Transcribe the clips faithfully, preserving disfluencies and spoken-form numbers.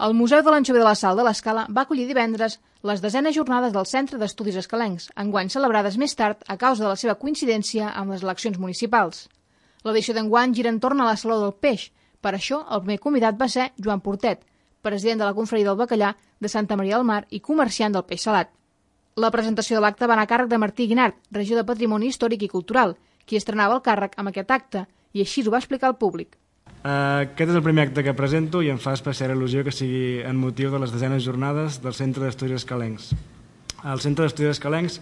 El Museu de l'Anxover de la Sal de l'Escala va acollir divendres les desenes jornades del Centre d'Estudis Escalencs, enguany celebrades més tard a causa de la seva coincidència amb les eleccions municipals. L'edició d'enguany gira entorn a la Saló del Peix. Per això, el primer convidat va ser Joan Portet, president de la Confraria del Bacallà de Santa Maria del Mar i comerciant del peix salat. La presentació de l'acte va anar a càrrec de Martí Guinart, regidor de Patrimoni Històric i Cultural, qui estrenava el càrrec amb aquest acte, i així ho va explicar al públic. Aquest és el primer acte que presento i em fa especial il·lusió que sigui en motiu de les desenes jornades del Centre d'Estudis Escalencs. El Centre d'Estudis Escalencs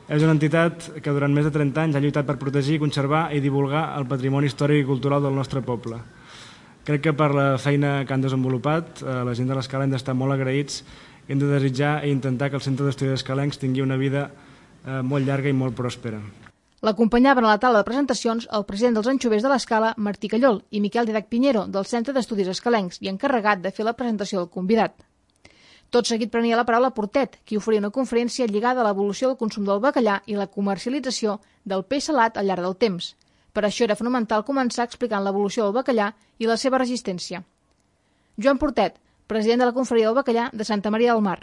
és una entitat que durant més de trenta anys ha lluitat per protegir, conservar i divulgar el patrimoni històric i cultural del nostre poble. Crec que per la feina que han desenvolupat, la gent de l'Escala hem d'estar molt agraïts i hem de desitjar i intentar que el Centre d'Estudis Escalencs tingui una vida molt llarga i molt pròspera. L'acompanyaven a la taula de presentacions el president dels Anxovers de l'Escala, Martí Callol, i Miquel Didac Piñero, del Centre d'Estudis Escalencs, i encarregat de fer la presentació del convidat. Tot seguit prenia la paraula Portet, qui oferia una conferència lligada a l'evolució del consum del bacallà i la comercialització del peix salat al llarg del temps. Per això era fonamental començar explicant l'evolució del bacallà i la seva resistència. Joan Portet, president de la Confraria del Bacallà de Santa Maria del Mar.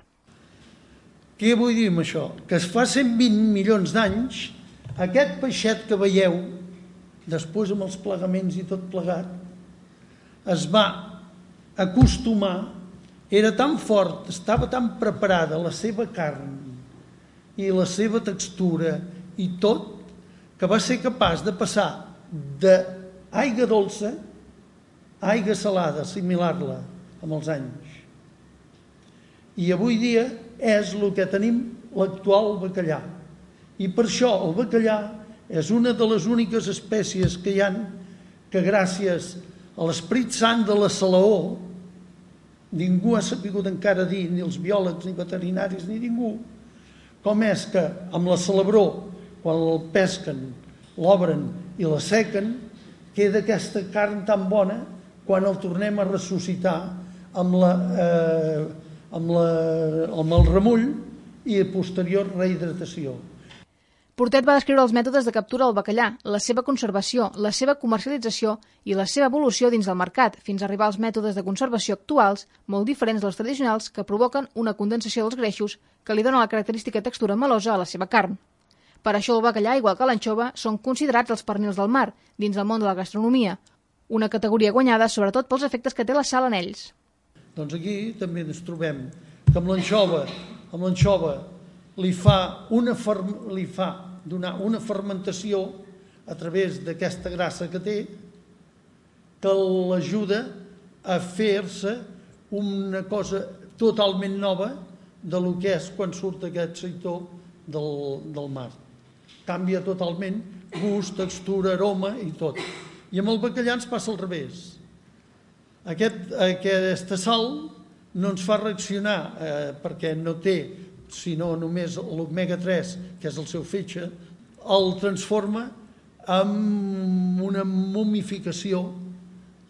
Què vull dir amb això? Que es fa cent vint milions d'anys, aquest peixet que veieu, després amb els plegaments i tot plegat, es va acostumar, era tan fort, estava tan preparada la seva carn i la seva textura i tot, que va ser capaç de passar d'aigua dolça a aigua salada, assimilar-la amb els anys. I avui dia és el que tenim l'actual bacallà. I per això el bacallà és una de les úniques espècies que hi ha que gràcies a l'Esperit Sant de la Salaó, ningú ha sabut encara dir, ni els biòlegs, ni veterinaris, ni ningú, com és que amb la salabró, quan el pesquen, l'obren i la sequen, queda aquesta carn tan bona quan el tornem a ressuscitar amb, la, eh, amb, la, amb el remull i a posterior rehidratació. Portet va descriure els mètodes de captura del bacallà, la seva conservació, la seva comercialització i la seva evolució dins del mercat, fins a arribar als mètodes de conservació actuals, molt diferents dels tradicionals, que provoquen una condensació dels greixos que li dona la característica textura melosa a la seva carn. Per això el bacallà, igual que l'anxova, són considerats els pernils del mar, dins el món de la gastronomia, una categoria guanyada sobretot pels efectes que té la sal en ells. Doncs aquí també ens trobem que amb l'anxova, amb l'anxova li fa una, li fa donar una fermentació a través d'aquesta grassa que té que l'ajuda a fer-se una cosa totalment nova de lo que és quan surt aquest seitó del, del mar. Canvia totalment gust, textura, aroma i tot. I amb el bacallà ens passa al revés. Aquest, aquesta sal no ens fa reaccionar eh, perquè no té sinó només l'omega tres, que és el seu fetge, el transforma en una momificació,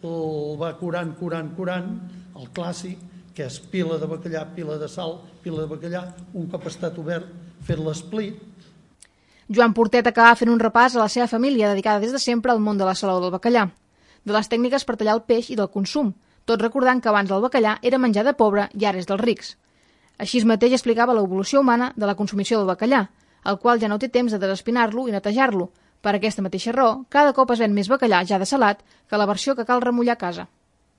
el va curant, curant, curant, el clàssic, que és pila de bacallà, pila de sal, pila de bacallà, un cop estat obert, fer l'esplit. Joan Portet acaba fent un repàs a la seva família, dedicada des de sempre al món de la salaó del bacallà, de les tècniques per tallar el peix i del consum, tot recordant que abans el bacallà era menjar de pobre i ara és dels rics. Així mateix explicava l'evolució humana de la consumició del bacallà, el qual ja no té temps de desespinar-lo i netejar-lo. Per aquesta mateixa raó, cada cop es ven més bacallà ja de salat que la versió que cal remullar a casa.